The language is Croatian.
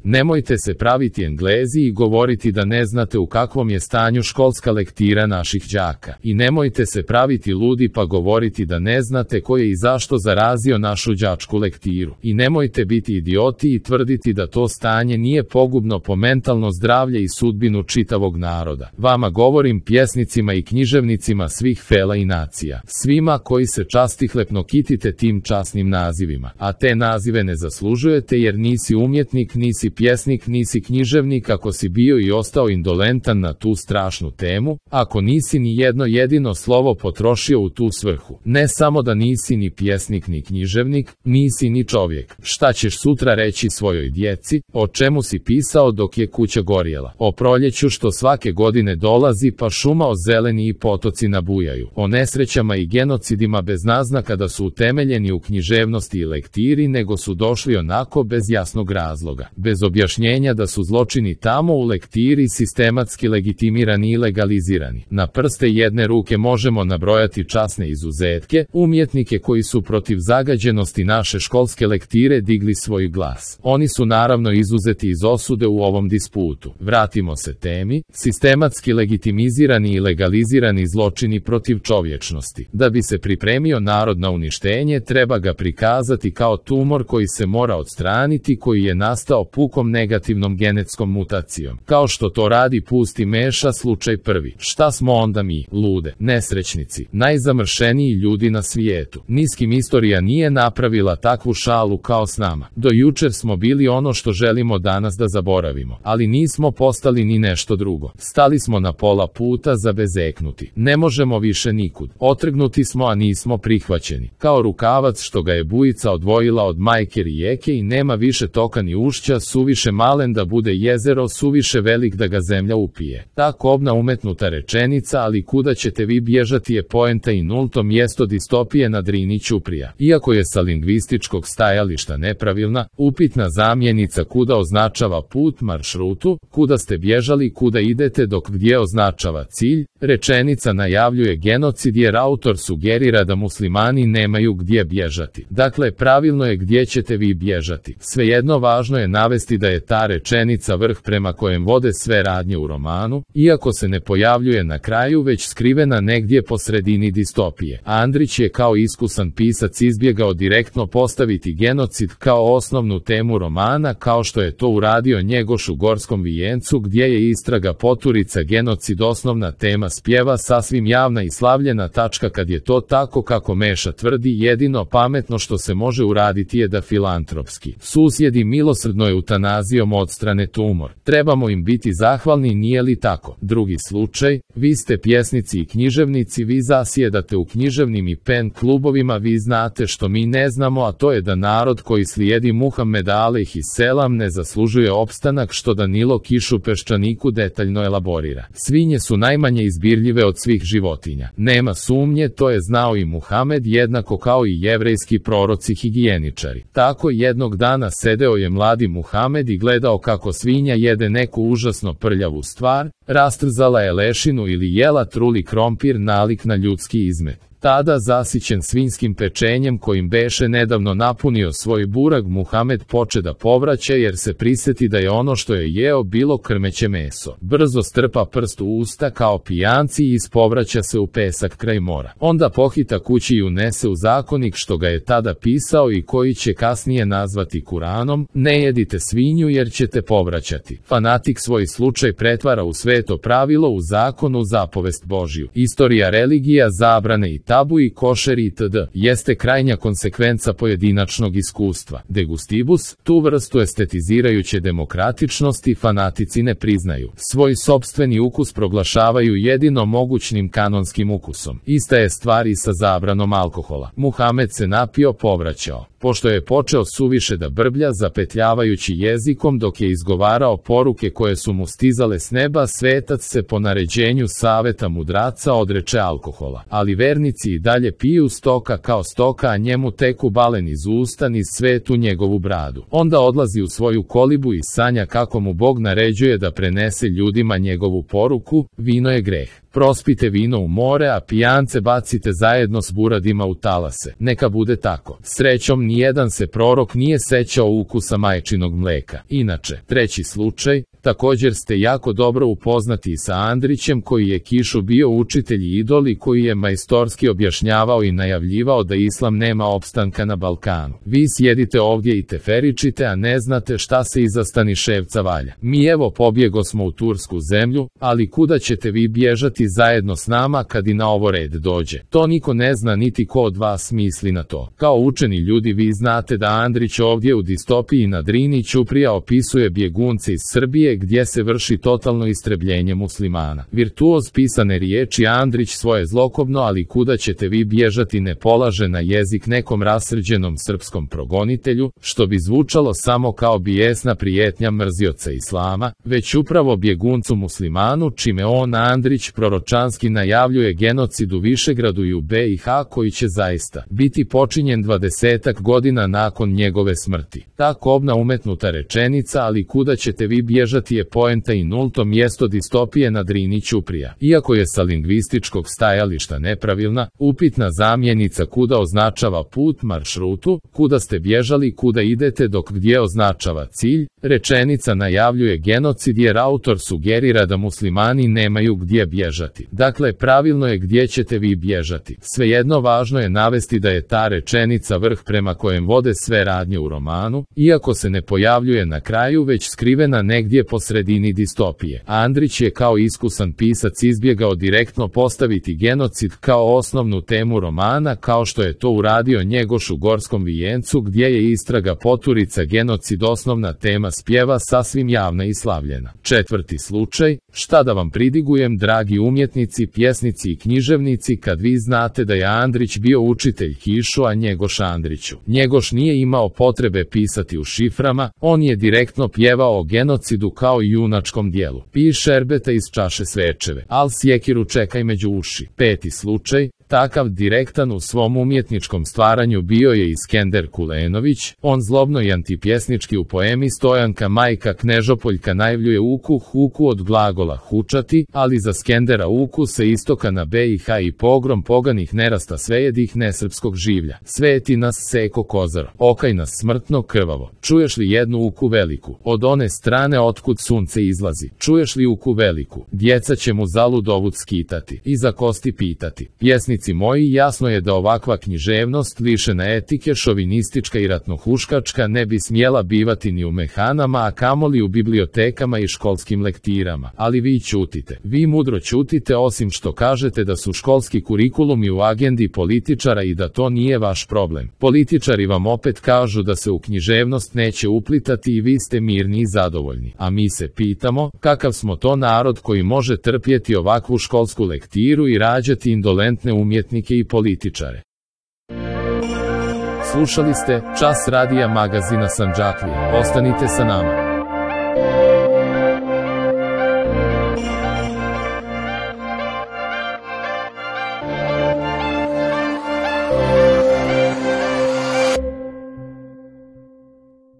Nemojte se praviti Englezi i govoriti da ne znate u kakvom je stanju školska lektira naših đaka. I nemojte se praviti ludi pa govoriti da ne znate ko je i zašto zarazio našu đačku lektiru. I nemojte biti idioti i tvrditi da to stanje nije pogubno po mentalno zdravlje i sudbinu čitavog naroda. Vama govorim, pjesnicima i književnicima svih fela i nacija. Svima koji se častihlepno kitite tim časnim nazivima. A te nazive ne zaslužujete jer nisi umjetnik, nisi pjesnik, nisi književnik ako si bio i ostao indolentan na tu strašnu temu, ako nisi ni jedno jedino slovo potrošio u tu svrhu. Ne samo da nisi ni pjesnik ni književnik, nisi ni čovjek. Šta ćeš sutra reći svojoj djeci? O čemu si pisao dok je kuća gorjela? O proljeću što svake godine dolazi pa šuma ozeleni i potoci nabujaju. O nesrećama i genocidima bez naznaka da su utemeljeni u književnosti i lektiri, nego su došli onako bez jasnog razloga. Bez objašnjenja da su zločini tamo u lektiri sistematski legitimirani i legalizirani. Na prste jedne ruke možemo nabrojati časne izuzetke, umjetnike koji su protiv zagađenosti naše školske lektire digli svoj glas. Oni su naravno izuzeti iz osude u ovom disputu. Vratimo se temi, sistematski legitimizirani i legalizirani zločini protiv čovječnosti. Da bi se pripremio narod na uništenje, treba ga prikazati kao tumor koji se mora odstraniti, koji je nastao pukom negativnom genetskom mutacijom. Kao što to radi pusti meša slučaj prvi. Šta smo onda mi, lude, nesrećnici, najzamršeniji ljudi na svijetu? Niskim istorija nije napravila takvu šalu kao s nama. Do jučer smo bili ono što želimo danas da zaboravimo, ali nismo postali ni nešto drugo. Stali smo na pola puta zabezeknuti. Ne možemo više nikud. Otrgnuti smo, a nismo prihvaćeni. Kao rukavac što ga je bujica odvojila od majke rijeke i nema više toka ni ušća, suviše malen da bude jezero, suviše velik da ga zemlja upije. Ta kobna umetnuta rečenica, ali kuda ćete vi bježati, je poenta i nulto mjesto distopije na Drini ćuprija. Iako je sa lingvističkog stajališta nepravilna, upitna zamjenica kuda označava put, maršrutu, kuda ste bježali, kuda idete, dok gdje označava cilj. Rečenica najavljuje genocid jer autor sugerira da muslimani nemaju gdje bježati. Dakle, pravilno je gdje ćete vi bježati. Svejedno, važno je navesti da je ta rečenica vrh prema kojem vode sve radnje u romanu, iako se ne pojavljuje na kraju, već skrivena negdje po sredini distopije. Andrić je kao iskusan pisac izbjegao direktno postaviti genocid kao osnovnu temu romana, kao što je to uradio Njegoš u Gorskom vijencu, gdje je istraga poturica genocid osnovna tema spjeva, sasvim javna i slavljena tačka. Kad je to tako kako Meša tvrdi, jedino pametno što se može uraditi je da filantropski susjedi milosrdno eutanazijom odstrane tumor. Trebamo im biti zahvalni, nije li tako? Drugi slučaj, vi ste pjesnici i književnici, vi zasjedate u književnim i pen klubovima, vi znate što mi ne znamo, a to je da narod koji slijedi Muhameda alejhi selam ne zaslužuje opstanak, što Danilo Kiš u Peščaniku detaljno elaborira. Svinje su najmanje izbirljive od svih životinja. Nema sumnje, to je znao i Muhamed, jednako kao i jevrejski proroci higijeničari. Tako jednog dana sedeo je mladi Muhamed i gledao kako svinja jede neku užasno prljavu stvar, rastrzala je lešinu ili jela truli krompir, nalik na ljudski izmet. Tada, zasićen svinjskim pečenjem kojim beše nedavno napunio svoj burag, Muhamed poče da povraća jer se prisjeti da je ono što je jeo bilo krmeće meso. Brzo strpa prst u usta kao pijanci i ispovraća se u pesak kraj mora. Onda pohita kući i unese u zakonik što ga je tada pisao i koji će kasnije nazvati Kuranom: ne jedite svinju jer ćete povraćati. Fanatik svoj slučaj pretvara u sveto pravilo, u zakonu zapovest Božju. Istorija, religija, zabrane i tabu i košeri itd. jeste krajnja konsekvenca pojedinačnog iskustva. De gustibus, tu vrstu estetizirajuće demokratičnosti fanatici ne priznaju. Svoj sopstveni ukus proglašavaju jedino mogućnim kanonskim ukusom. Ista je stvar i sa zabranom alkohola. Muhamed se napio, povraćao. Pošto je počeo suviše da brblja, zapetljavajući jezikom dok je izgovarao poruke koje su mu stizale s neba, svetac se po naređenju saveta mudraca odreče alkohola. Ali vernici i dalje piju stoka kao stoka, a njemu teku balen iz usta niz svetu njegovu bradu. Onda odlazi u svoju kolibu i sanja kako mu Bog naređuje da prenese ljudima njegovu poruku: vino je greh. prospite vino u more, a pijance bacite zajedno s buradima u talase. Neka bude tako. Srećom nijedan se prorok nije sećao ukusa majčinog mleka. Inače, treći slučaj, također ste jako dobro upoznati sa Andrićem koji je Kišu bio učitelj i idol i koji je majstorski objašnjavao i najavljivao da islam nema opstanka na Balkanu. Vi sjedite ovdje i teferičite, a ne znate šta se iza Staniševca valja. Mi evo pobjegosmo u tursku zemlju, ali kuda ćete vi bježati zajedno s nama kad i na ovo red dođe? To niko ne zna niti ko od vas misli na to. Kao učeni ljudi vi znate da Andrić ovdje u distopiji na Drini Ćuprija opisuje bjegunce iz Srbije gdje se vrši totalno istrebljenje muslimana. Virtuoz pisane riječi Andrić svoje zlokobno, ali kuda ćete vi bježati ne polaže na jezik nekom rasrđenom srpskom progonitelju, što bi zvučalo samo kao bijesna prijetnja mrzioca islama, već upravo bjeguncu muslimanu, čime on Andrić proročanski najavljuje genocid u Višegradu i u BiH koji će zaista biti počinjen 20 godina nakon njegove smrti. Ta kobna umetnuta rečenica, ali kuda ćete vi bježati, je poenta i nulto mjesto distopije na Drini Ćuprija. Iako je sa lingvističkog stajališta nepravilna, upitna zamjenica kuda označava put, maršrutu, kuda ste bježali, kuda idete, dok gdje označava cilj, rečenica najavljuje genocid jer autor sugerira da muslimani nemaju gdje bježati. Dakle, pravilno je gdje ćete vi bježati. Svejedno važno je navesti da je ta rečenica vrh prema kojem vode sve radnje u romanu, iako se ne pojavljuje na kraju već skrivena negdje po sredini distopije. Andrić je kao iskusan pisac izbjegao direktno postaviti genocid kao osnovnu temu romana, kao što je to uradio Njegoš u Gorskom vijencu, gdje je istraga Poturica genocid osnovna tema spjeva sasvim javna i slavljena. Četvrti slučaj, šta da vam pridigujem, dragi umjetnici, pjesnici i književnici, kad vi znate da je Andrić bio učitelj Kišu, a Njegoš Andriću. Njegoš nije imao potrebe pisati u šiframa, on je direktno pjevao o genocidu kao i junačkom dijelu. Pij šerbeta iz čaše svečeve, al sjekiru čekaj među uši. Peti slučaj, takav direktan u svom umjetničkom stvaranju bio je Iskender Kulenović, on zlobno i antipjesnički u poemi Stojanka majka Knežopoljka najavljuje uku od glagola hučati, ali za Skendera uku se istoka na BiH i pogrom poganih nerasta svejedih nesrpskog življa. Sveti nas seko kozar, okaj nas smrtno krvavo. Čuješ li jednu uku veliku, od one strane otkud sunce izlazi? Čuješ li uku veliku? Djeca će mu zalud ovud skitati i za kosti pitati. Pjesnici moji, jasno je da ovakva književnost lišena etike, šovinistička i ratnohuškačka ne bi smjela bivati ni u mehanama, a kamoli u bibliotekama i školskim lektirama. Ali vi ćutite. Vi mudro ćutite, osim što kažete da su školski kurikulumi u agendi političara i da to nije vaš problem. Političari vam opet kažu da se u književnost neće uplitati i vi ste mirni i zadovoljni. A mi se pitamo, kakav smo to narod koji može trpjeti ovakvu školsku lektiru i rađati indolentne umjetnike i političare. Slušali ste Čas radija magazina Sandžaklija. Ostanite sa nama.